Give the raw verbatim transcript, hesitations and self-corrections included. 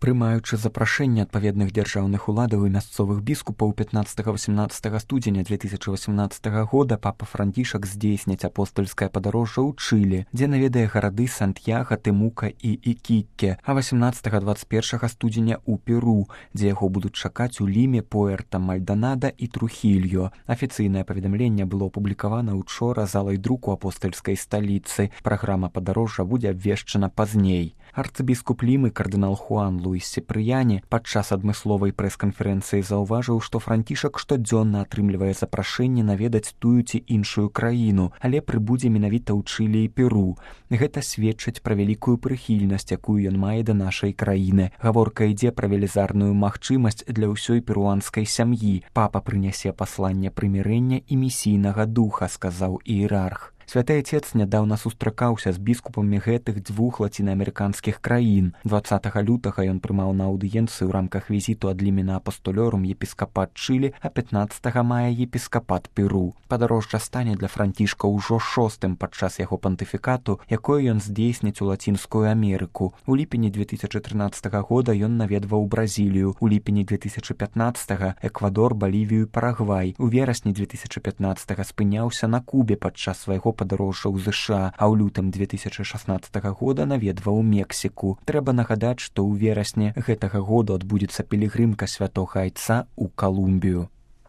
Прымаючы запрашэнне адпаведных дзяржаўных уладаў і мясцовых біскупаў пятнаццатага-восемнаццатага студзеня две тысячы восемнаццатага года папа Францішак здзейсніць апостальскае падарожжа ў Чылі, дзе наведае гарады Сантьяга, Тэмука і Ікікке, а васемнаццатага-дваццаць першага студзеня ў Перу, дзе яго будуць чакаць у Ліме, Пуэрта Мальданада і Трухільо. Афіцыйнае паведамленне было апублікавана учора залай друку апостальскай сталіцы. Праграма падарожжа будзе абвешчана пазней. Арцыбіскуп Лімы кардынал Хуан Луіс Сепрыяне падчас адмысловай прэс-канферэнцыі заўважыў, што Францішак штодзённа атрымлівае запрашэнне наведаць тую ці іншую краіну, але прыбудзе менавіта ў Чылі і Перу. Гэта сведчыць пра вялікую прыхільнасць, якую ён мае да нашай краіны. Гаворка ідзе пра велізарную магчымасць для ўсёй перуанскай сям'і. Папа прынясе пасланне прымірэння і місійнага духа, сказаў іерарх. Святы Отец нядаўна сустракаўся з біскупамі гэтых дзвюх лацінаамерыканскіх краін. дваццатага лютага ён прымаў на аўдыенцыю ў рамках візіту ад Лімена апостолёрум епіскапат Чылі, а пятнаццатага мая епіскапат Перу. Падарожжа стане для Францішка ўжо шостым падчас яго пантыфікату, якое ён здзейсніць у Лацінскую Амерыку. У ліпені две тысячы трынаццатага года ён наведваў Бразілію, у ліпені две тысячы пятнаццатага Эквадор, Балівію, Парагвай. У верасні две тысячы пятнаццатага спыняўся на Кубе падчас свайго падарожжа ў ЗША, а ў лютым две тысячы шаснаццатага года наведваў Мексіку. Трэба нагадаць, што ў верасні гэтага года адбудзецца пілігрымка святога Айца ў Калумбію.